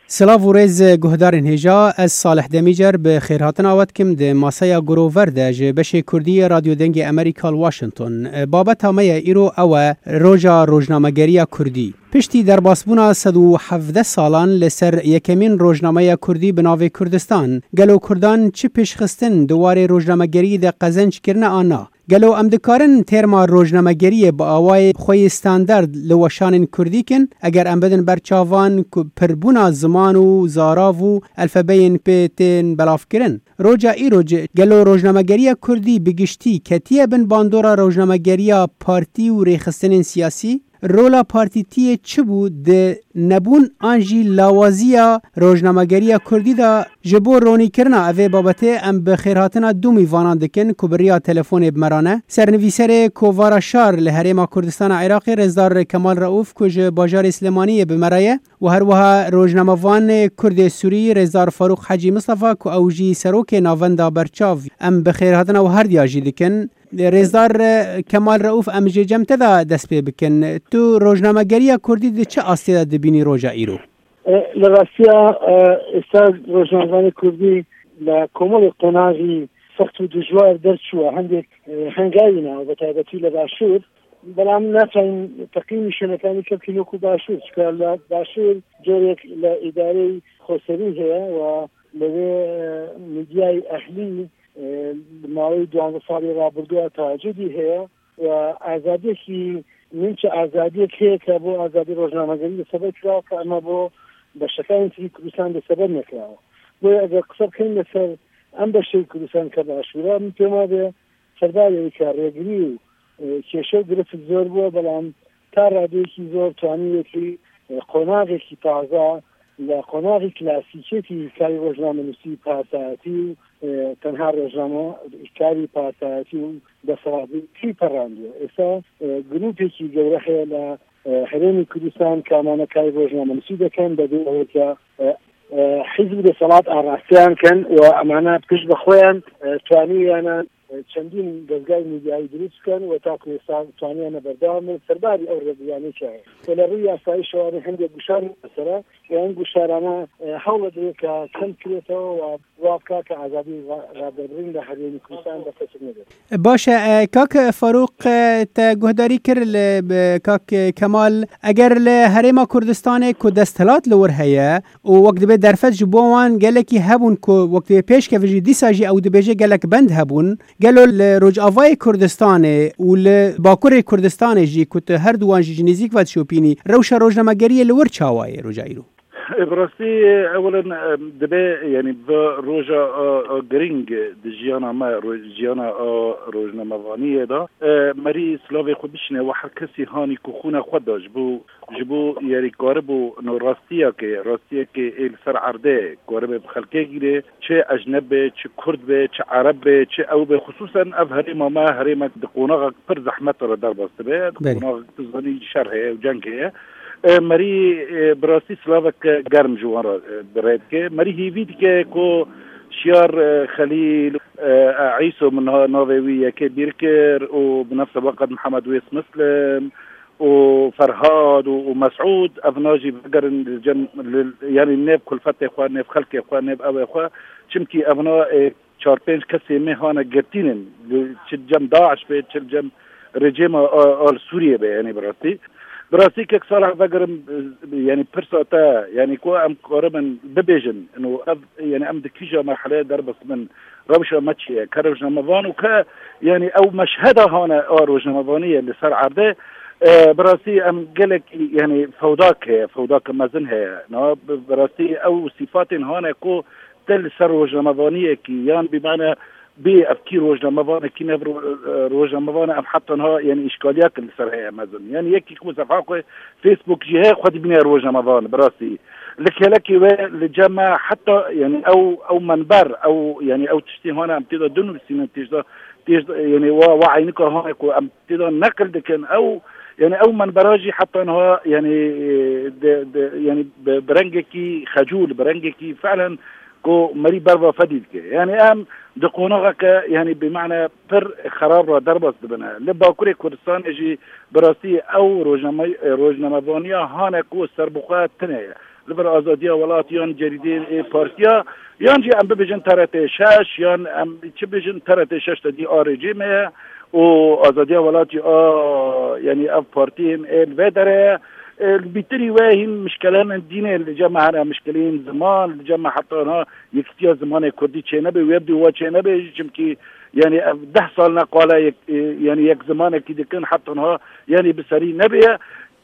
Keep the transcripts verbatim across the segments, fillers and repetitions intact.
Silav û rêz guhdarên hêja, ez Salih Demîcer bi xêrhatina we dikim di masaya Grover de ji beşê Kurdî yê Radyo Dengê Amerîka li Washington. Babeta me ye îro ew e, Roja Rojnamegeriya Kurdî. Piştî derbasbûna sed û hevdeh salan li ser yekemîn rojnameya Kurdî bi navê Kurdistan, gelo Kurdan çi pêşxistin di warê rojnamegeriyê de qezenc kirine an na? Gelo em dikarin têrma rojnamegeriyê bi awayê xwe yê standard li weşanên Kurdî kin, eger em bidin ber çavan ku pirbûna ziman û zarav û elfebeyên pê tên belavkirin? Roja îro, gelo rojnamegeriya Kurdî bi giştî ketiye bin bandora rojnamegeriya partî û rêxistinên siyasî? Rola partîtiyê çi bû di nebûn an jî lawaziya rojnamegeriya Kurdî de? Ji bo ronîkirina evê babetê em bi xêrhatina du mîvanan dikin ku bi riya telefonê bi me re ne. Sernivîserê Kovara Şar li Herêma Kurdistana Iraqê, Rêzdar Kemal Reûf, ku ji bajarê Silêmaniyê bi me re ye, û her wiha rojnamevanê Kurdê Sûrî, Rêzdar Farûq Hecî Mistefa, ku ew jî serokê Navenda Berçav. Em bi xêrhatina we herdiya jî dikin. Rêzdar, e, Kemal Reûf, em jê cem te de dest pê bikin. Tu rojnamegeriya Kurdî di çi astê de dibînî roja îro? E, li rastiya, e, êsta rojnamevanê Kurdî li komelê qonaxî sext û dijwar derçûwe. Hindek, e, hengayî ne, bi taybetî li Başûr. Belam naçayin teqîmî şenekani kevkî noku Başûr. Çika li Başûr corek li îdareyê xoserî heye û li vê, e, medyayê ehlî e, li mawê duwanzeh salê rabirduwa tacîdî heye û azadiyekî, min çi azadiyek heye ke bo azadî rojnamegerî desteber kirawo ke ema bo beşekanên tî Kurdistan desteber nekirawo. Boye eger qise bikin li ser em beşê Kurdistan ke Başûr e, min pê ma be serdarê wê ke rêgirî û, e, kêşe û giriftik zor bûye, belam ta radeyekî zor twanî wekî, e, qonaxekî taze li qonaxî klasîkiyetî karî rojnamenivîsî, parasayetî û, e, tenha rojname-, karî parasayetî û desthilatî perandiye. Êsa, e, grûpekî gewre heye li, e, Herêmê Kurdistan ke emane karî rojnamenivîsî dikin, bi vê aweke, e, e, hizb û desthilat arasteyan kin û emane pişt bi xwe yan, e, twanîyane çendîn dezgehê medyayî dirûst bikin û ta ku êsta twaniyane berdewam bin, serbarî ew rêgiryanê çi heye. Û li rûyê yasayî şewanê hindek guşar mesele û em guşarane, e, hewl dide ke kem kirêt'ewe û wa bike ke azadî ra-, radebirin li Herêmê Kurdistan dest pê nebe. Baş e, e, kak Farûq, e, te guhdarî kir li, bi kak Kemal, eger li Herêma Kurdistanê ku desthilat li wir heye, û wek dibê derfet ji bo wan gelekî hebûn ku wek dibê pêşkevin jî dîsa jî ew dibêje gelek bend hebûn. Gelo li Rojavayê Kurdistanê û li Bakurê Kurdistanê jî ku tu her du wan jî ji nêzîk ve dişopînî, rewşa rojnamegeriyê li wir çawa ye roja îro? E, bi rastî, e, ewilin, e, dibê, yanî, bi roja, e, e, girîng di jiyana me, ro-, jiyana, e, rojnamevaniyê de, e, merî silavê xwe bişîne we her kesî hanî ku xûna xwe da ji bo Ji bo, yanî, karibû no rastiyekê, rastiyekê ê li ser erdê karibê bi xelkê gîrê, çi ecneb be, çi kurd be, çi ereb be, çi ew be, xisûsen ev herêma me herêmek di qonaxek pir zehmet re derbas dibe, di Belê. qonaxek tu zanî şer heye û ceng heye. E, merî, e, bi rastî silavek germ ji wan re, e, bi rê dike. Merî hêvî dike ku Şiyar, e, Xelîl, e, e, Îso min ha navê wî yekê bîr kir û bi nefse weqet Mihemed Wês Muslim, û Ferhad û, û Mesûd, evna jî vegerin li cem, li, yanî nêv kulfetê xwe, nêv xelkê xwe, nêv ewê xwe. Çimkî evna, e, çar pênc kesê me hane girtînin. Li, çi cem DAIŞ be, çi cem rejîma a, a li Sûriyê be, yanî bi rastî. Bi rastî kek Salih vegerim, e, yanî pirsa te, yanî ku em karibin bibêjin, ino ev, yanî em di kîja merheleyê derbas bin, rewşa me çi ye, ke rojnamevan û ke, yanî ew meşheda hane a rojnamevaniyê li ser erdê, e, bi rastî em gelekî, yanî fewdak heye, fewdake mezin heye. Na, bi, bi rastî ew sîfatên hane ku te li ser rojnamevaniyekî, yan bi mane bê ev kî rojnamevanekî ne ro-, e, rojnamevan e, em heta niha, yanî îşkaliyeke li ser heye mezin. Yanî yekî ku sefha xwe Facebook jî heye, xwe dibîne rojnamevan, bi rastî. Li kelekê we li cem me heta, yanî ew, ew menber, ew, yanî ew tiştê hane em tê de dinûsînin, tê de, tê de, yanî wa, wa eynika hane ku em tê de neqil dikin, ew, yanî ew menbera jî heta niha, yanî, e, de, de, yanî bi, bi rengekî xecûl, bi rengekî felen ku merî berva fedî dike. Yanî em di qonaxeke, yanî bi mane pir xerab re derbas dibine. Li Bakurê Kurdistanê jî bi rastî ew rojname-, rojnamevaniya hane ku serbixwe tune ye. li vir azadiya welat yan cerîdê ê partiya, yan jî em bibêjin T R T şeş, yan em çi bêjin T R T şeş te dî a rejîmê ye û azadiya welat jî a, yanî ev partiyên ê li vê derê ye. E, li bîtirî wê hîn mişkelên dînê li cem me hene, mişkelên ziman, li cem me heta niha yekitiya zimanê kurdî çênebe, wê bi wa çênebe jî, çimkî, yanî ev deh sal ne qala yek, e, yanî yek zimanekî dikin, heta niha, yanî bi serî nebêye.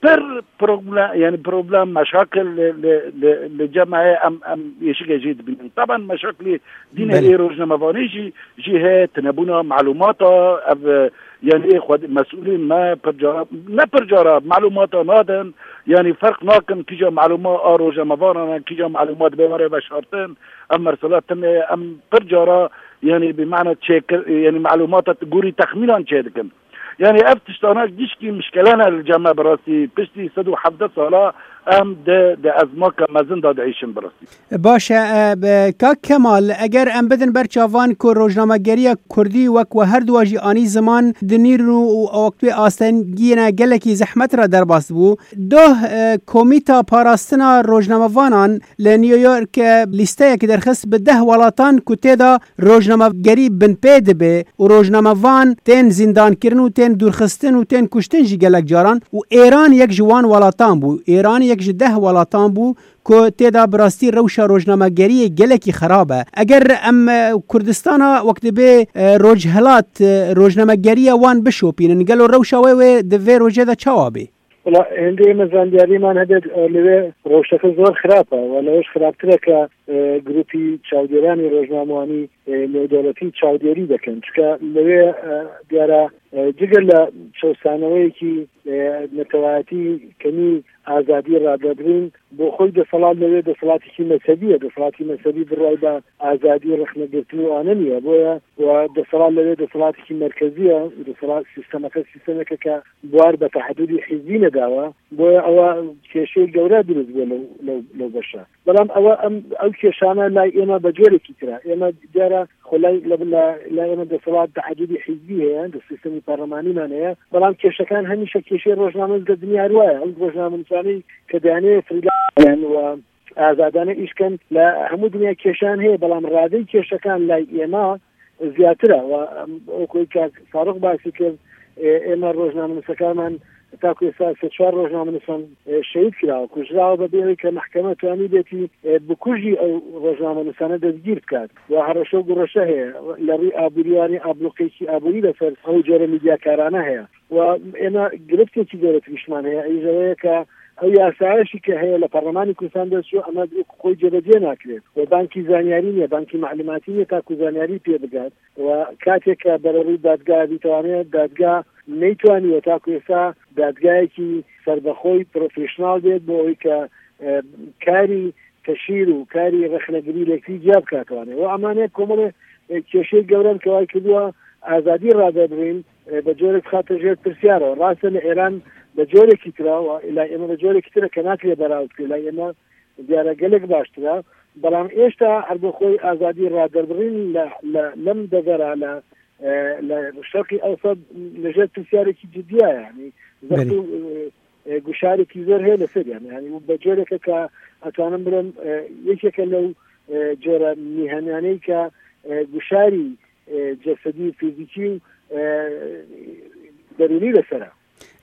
Pir problem, yanî problem, meşakil li, li, li, li cem me heye, em, em êşikê jê dibînin. Taban meşakilê dînê Belê. ê rojnamevanî jî, jî heye, tinebûna malûmata, ev, e, yanî ê xwed-, mesûlên me pir cara, ne pir cara, malûmata nadin, yanî ferq nakin kîja malûma a rojnamevanan e, kîja malûma dibe were veşartin. Ev mersela tune em pir cara, yanî bi mana çêkir, yanî malûmata gorî texmînan çêdikin. Yanî ev tiştana gişkî mişkele ne li cem me bi rastî. Piştî sed û hevdeh sala em di, di ezmaka mezin de diêşin bi rastî. Baş e, e, be, kak Kemal, eger em bidin ber çavan ku rojnamegeriya kurdî wek we her duwa jî anî ziman dinîrin û, û wek wê astengiyê ne gelekî zehmet re derbas bû. Doh, e, Komîta Parastina Rojnamevanan li New York, e, lîsteyek derxist bi deh welatan ku tê de rojnamegerî binpê dibe û rojnamevan tên zîndankirin û tên dûrxistin û tên kuştin jî gelek caran û Êran yek ji wan welatan bû. Êran yek ji deh welatan bû ku tê de bi rastî rewşa rojnamegeriyê gelekî xerab e. Eger em, e, Kurdistana wek dibê, e, rojhilat, e, rojnamegeriya wan bişopînin, gelo rewşa wê wê di vê rojê de çawa bê? Wala, hindê me zanyarîman hebe, e, li wê rewşeke zor xirab e. Wala, wê xirabtir e ke, e, grûpî çavdêranî rojnamewanî, e, nêwdewletî çavdêrî dikin. Çika li wê, e, diyara, e, cigir li çewsaneweyekî, e, netewayetî kemî azadî radebirîn, bo xwe deselat li wê deselatîkî mezhebî ye. Deselatî mezhebî bi rayda azadî rexnegirtin û anenî ye. Boye, we deselat li wê deselatîkî merkezî ye. Deselat sîstemeke sîstemeke ke buar be tehedûdî hizbî nedawa. Boye ewa kêşeyê gewre dirust bû lew, lew, lew beşa. Belam ewa em, ew kêşane lay ême be corekî tira. Ême diyara xwe lay, lay, lay ême deselat tehedûdî hizbî heye, di sîstemî parlemanî me heye. Belam kêşekan hemîşe kêşeyê rojnamez de dinya ruwaye. Ew rojnamenûsanî ke diyane freelance we azadane îş ken, li hemû dinya kêşan heye, belam radey kêşekan lay êma ziyatira. Wa, em, wekî kak Farûq basî kir, e, êma rojnamenûsekarman ta ku êsta sê çar rojnamenûsan, e, şehîd kirawa, kujrawa, be bêrê ke mehkeme twanî bêtî, e, bikujî ew rojnamenûsane destgîr bikat. Wa hereşe û gureşe heye. Li rûy aborî, yanî ablûqeyekî aborî li ser ew cure mîdyakarane heye. Wa êma giriftekî zêde tibîşman heye. Ey ji wê ye ke ew yasayê jî ke heye li Parlemanê Kurdistan dest çû, ema wek xwe cêbecê nakire. We bankî zanyarî niye, bankî malûmatî niye ta ku zanyarî pê bigat. We katê ke bere rû dadgah bî, tewanê dadgah neytwaniye ta ku êsta dadgahekî serbexwe, profesyonel bêt bo ewê ke, e, karî teşhîr û karî rexnegirî lêkirî ciya bikat wane. We emane komelê, e, kêşeyê gewre in ke way kiriwa azadî radebirîn, e, bi corek xate jêr pirsyar e. Rast e, li Êran bi corekî tira, wa lay ême bi corekî tira ke nakire beraw bike, lay ême diyare gelek baştir e. Belam êşta her bi xwe azadî raderbirîn li, li, lem devera, li, e, li Şerqî Ewsat li jêr pirsyarêkî cidî ye, yanî zext Belê. û, e, e, guşarekî zor heye li ser, yanî, yanî û bi coreke ke ez dikarim bilim, e, yekeke lew, e, cora mîhemyaneyê ke, e, guşarî e, cesedî, fîzîkî û, e, derûnî li ser e.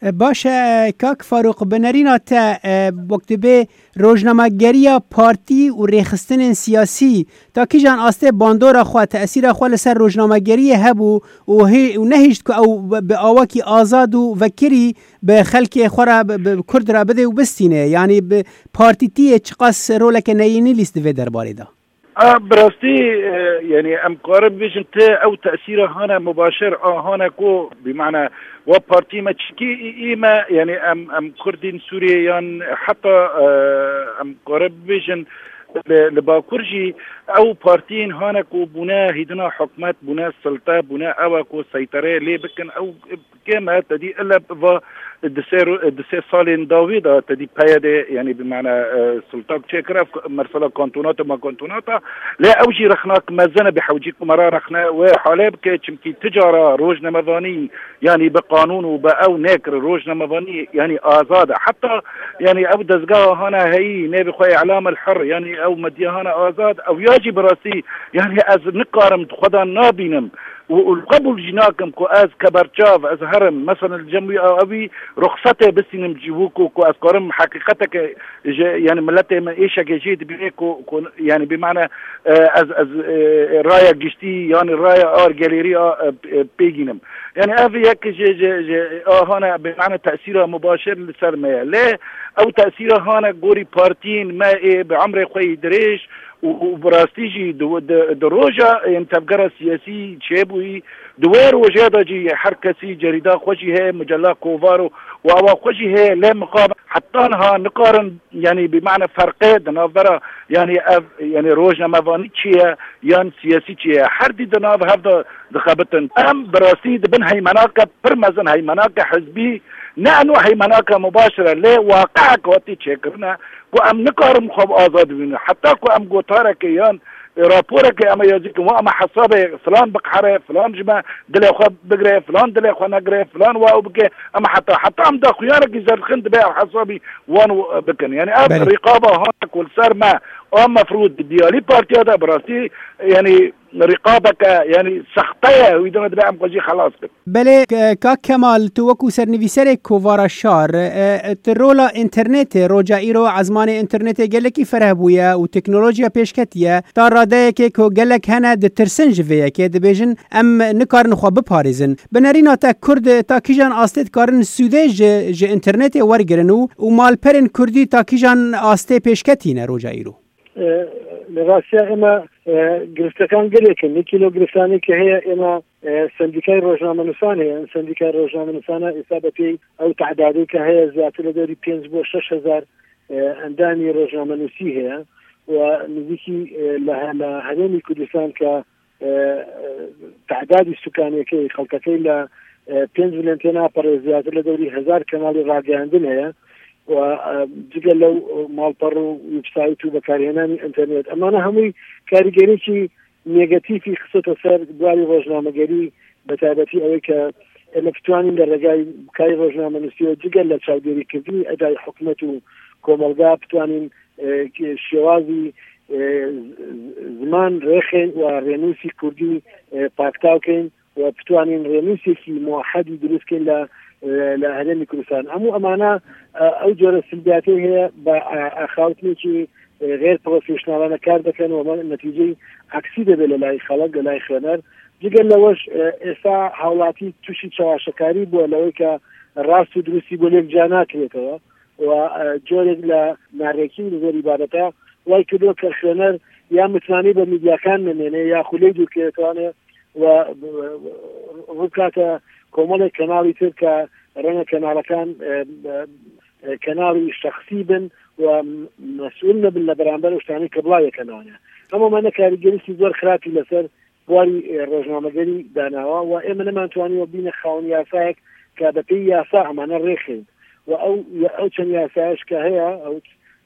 E, baş e, kak Farûq, bi nerîna te, e, wek dibê rojnamegeriya partî û rêxistinên siyasî ta kîjan astê bandora xwe, tesîra xwe li ser rojnamegeriyê hebû û hê-, û nehişt ku ew bi awakî azad û vekirî bi xelkê xwe re, bi, bi Kurd re bidê û bistîne? Yanî bi partîtiyê çiqas roleke neyînî lîst di vê derbarê de? A, bi rastî, e, yanî em karin bibêjin ti ew tesîra hane mubaşir a hane ku, bi mana, wa partî me çikî î, î me, yanî em, em Kurdên Sûriyê yan heta, e, em karin bibêjin, Li, li Bakur jî ew partiyên hane ku bûne hîdina hikûmet, bûne silte, bûne ew e ku seytereyê lê bikin, ew kêm e, te dî ile va di sê ro-, di sê salên dawî de te dî P Y D, yanî bi mane, e, siltak çêkir, ev mesela kantonata ma kantonata, lê ew jî rexnak mezin e, bi hewcî ku me ra rexne wê halê bike, çimkî ti cara rojnamevanî, yanî bi qanûn û bi ew nêkir rojnamevanî, yanî azad e. Heta, yanî ew dezgeha hane heyî, nê bi xwe îlam el hir, yanî ew medya hane azad, ew ya jî bi rastî, yanî ez nikarim, xwe de nabînim û, û qebûl jî nakim ku ez keberçav, ez herim, mesela li cem wî a, ewî ruxsetê bistînim ji wî ku, ku ez karim heqîqeteke ji, yanî miletê me êşeke jê dibîne ku, ku, yanî bi mane, e, ez, ez, e, raya giştî, yanî raya ar gelêrî a, e, e, pêgînim. Yanî ev yek ji, ji, ji, a hane bi mane tesîra mubaşir li ser me ye. Lê ew tesîra hane gorî partiyên me ê bi emrê xwe yî dirêj û, û bi rastî jî di, di, di roja yên tevgera siyasî çêbûyî, di wê rojê de jî her kesî cerîda xwe jî heye, micella kovar û, û awa xwe jî heye, lê mixabin heta niha nikarin, yanî bi mane ferqê di navbera, yanî ev, yanî rojnamevanî çi ye, yan siyasî çi ye? Her dî di nav hev de dixebitin. Em bi rastî di bin heymenake pir mezin, heymenake hizbî, ne eno heymenake mubaşir e, lê waqiek hatî çêkirine ku em nikarin xwe bi azad bibînin. Heta ku em gotareke yan raporeke em ê yazî kin, wa em ê hesabê filan biqhere, filan ji me dilê xwe bigire, filan dilê xwe negire, filan wa ew bike, em ê heta, heta em daxuyanekî zerdixin dibe ew hesabî wan bikin. Yanî ev Belê. rîqaba hane ku li ser me a mefrûd di diyalî partiya de bi rastî, yanî rîqabeke, yanî sexte ye, wî dina dibe em xwe jî xelas bikin. Belê, k-, kak Kemal, tu wekû sernivîserê Kovara Şar, e, tu rola înternetê, roja îro ezmanê înternetê gelekî fereh bûye û teknolojiya pêşketiye. Ta radeyekê ku gelek hene ditirsin ji vê yekê, dibêjin, em nikarin xwe biparêzin. Bi nerîna te Kurd ta kîjan astê dikarin sûdê ji, ji înternetê wergirin û, û malperên Kurdî ta kîjan astê pêşketî ne roja îro? E, li rastiya ême, e, giriftekan gelek in. Yekî lo giriftanê ke heye, ême, e, sendîkayê rojnamenûsan heye. Em sendîkayê rojnamenûsana êsta bi pêy ew tedadê ke heye, zêdetir li dewrî pênc bo şeş hezar, e, endamî rojnamenûsî heye. Û nizîkî, e, li he-, li herêmî Kurdistan ke e, tedadî sukaniyekê, xelkekê li, e, pênc milyon tê napere, zêdetir li dewrî hezar kenalî ragihandin heye. Û, e, cigel lew, e, malper û websayt û bekarhênanî înternet. Emane hemû karîgerîkî negatîfî xisite ser buarî rojnamegerî, bi taybetî ewê ke ême bitwanîn li regayî kayê rojnamenûsiyê cigel li çavdêrîkirdinî edayê hikûmet û komelga bitwanîn, e, ki şêwazî, e, z-, z-, ziman rêxên û rênûsî kurdî, e, paktaw kên û bitwanîn rênûsêkî muwehedî dirust kên li, e, li herêmî Kurdistan. Hemû emana, e, ew cure silbiyatê heye, bi, e, axaftinekî, e, xêr profesyonelane kar dikin û me netîceyê eksî dibe li layê xelk, li layê xwêner. Cigel li weş, e, êsta hawlatî tûşî çawaşekarî bûye, li wê ke rast û dirustî bo lêk ca nakirêteve. û, e, corek li narêkîn li ser îbadeta way kiriyo ke xwêner ya mitmanî bi medyakan nemêne ya xwe lê dûr kiriye, û, e, rûkate komelek kenalî tir ke renge kenalekan, e, e, e, kenalî şexsî bin û mesûl nebin li beramber û ştanî ke bila yeke nane. Hema me ne karîgerîkî zor xirapî li ser buarî, e, rojnamegerî danawa û ême neman twanî we bîne xawin yasayek ke bi pêy yasa emane rêxên. Û ew, ew çend yasayek ke heye, ew,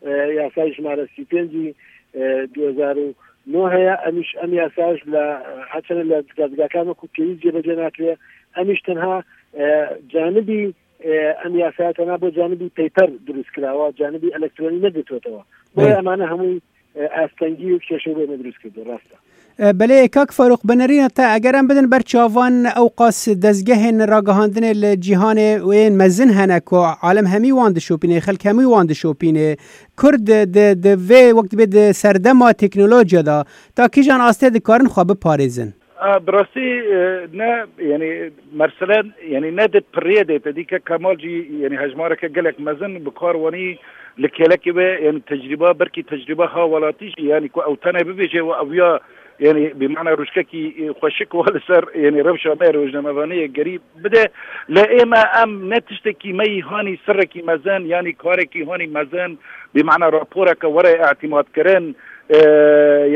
e, yasayê jimare sî pêncî, e, du hezar û neh heye, em îş, em yasayek li, e, her çend li dezgekan wekû pêwîst cêbecê nakiriye, em îş tenha, e, canibî, e, em yasaya tenha bo canibî peyper dirust kirawa, canibî elektronî negirtotewa. Bo Belê. emane hemû e, astengî û kêşeyê me dirust kirdo, rast e. E, belê, kak Farûq, bi nerîna te, eger em bidin ber çavan, ew qas dezgehên ragihandinê li cîhanê û yên mezin hene ku alem hemî wan dişopîne, xelk hemî wan dişopîne. Kurd di, di, di vê wek dibê di serdema teknolojiya de, ta kîjan astê dikarin xwe biparêzin? A, bi rastî, e, ne, yanî, merselen, yanî, ne di piriyê de te dî ke Kemal jî, yanî, hejmareke gelek mezin bi kar wanî li kêlekê we, yanî, tecrîba, belkî tecrîba ha welatî jî, yanî, ku ew tenê bibêje û ew ya, yanî, bi mana rûşkekî, e, xweşik wa li ser, yanî, rewşa me rojnamevaniyê gerî bide. Lê ême em ne tiştekî me yî hanî sirrekî mezin, yanî, karekî hanî mezin, bi mana raporeke were îtîmat kirin, e,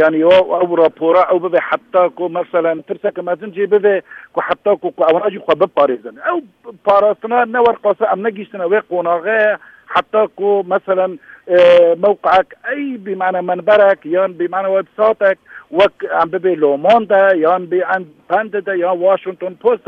yanî ew, ew rapora ew bibe heta ku, meselen, tirseke mezin jê bibe ku heta ku, ku ewana jî xwe biparêzin. Ew parastina ne werqasa em negihîştine wê qonaxê, heta ku, meselen, e, mewqeek ey bimane menberek yan bimane websaytek wek em bibe Le Monde yan bi Independent yan Washington Post,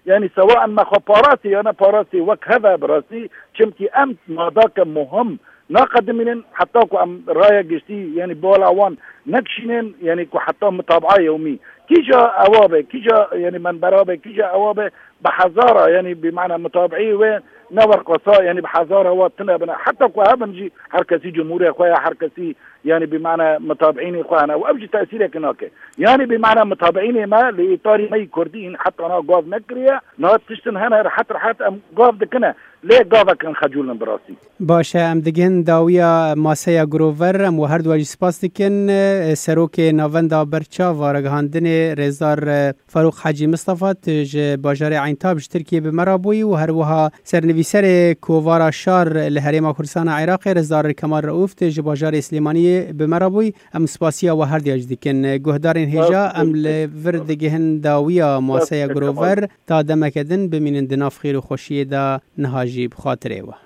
yanî sewa em me xwe parastî yan ne parastî wek heve birastî, çimkî em madake muhim naqedimînin heta ku em raya giştî, yanî bala wan nekişînin, yanî ku heta mitabaa yewmî kîja ewa be, kîja, yanî menbera be, kîja ewa be, bi hezara, yanî bi mana mitabiî wê ne werqasa, yanî bi hezara wa tune bine. Heta ku hebin jî her kesî cumhûrê xwe ya, her kesî, yanî bi mana mitabiînê xwe hene. Û ev jî tesîrekê nake. Yanî bi mana mitabiînê me li îtarî me yî kurdî hîn heta na gav nekiriye. Na tiştin hene rehet rehet em gav dikine. Lê gavek em xecûl in bi rastî. Baş e, em digihên dawiya maseya Grover, em we her duwa jî spas dikin. E, Serokê Navenda Berçav a Ragihandinê Rêzdar, e, Farûq Hecî Mistefa, tu ji bajarê Eyntab ji Tirkiyê bi me re bûyî û her wiha sernivîserê Kovara Şar li Herêma Kurdistana Iraqê, Rêzdar Kemal Reûf, tu ji bajarê Silêmaniyê bi me re bûyî. Em spasiya we her diya jî dikin. Guhdarên hêja, em li vir digihin dawiya maseya Grover. Ta demeke din bimînin di nav xêr û xweşiyê de, niha jî bi xatirê we.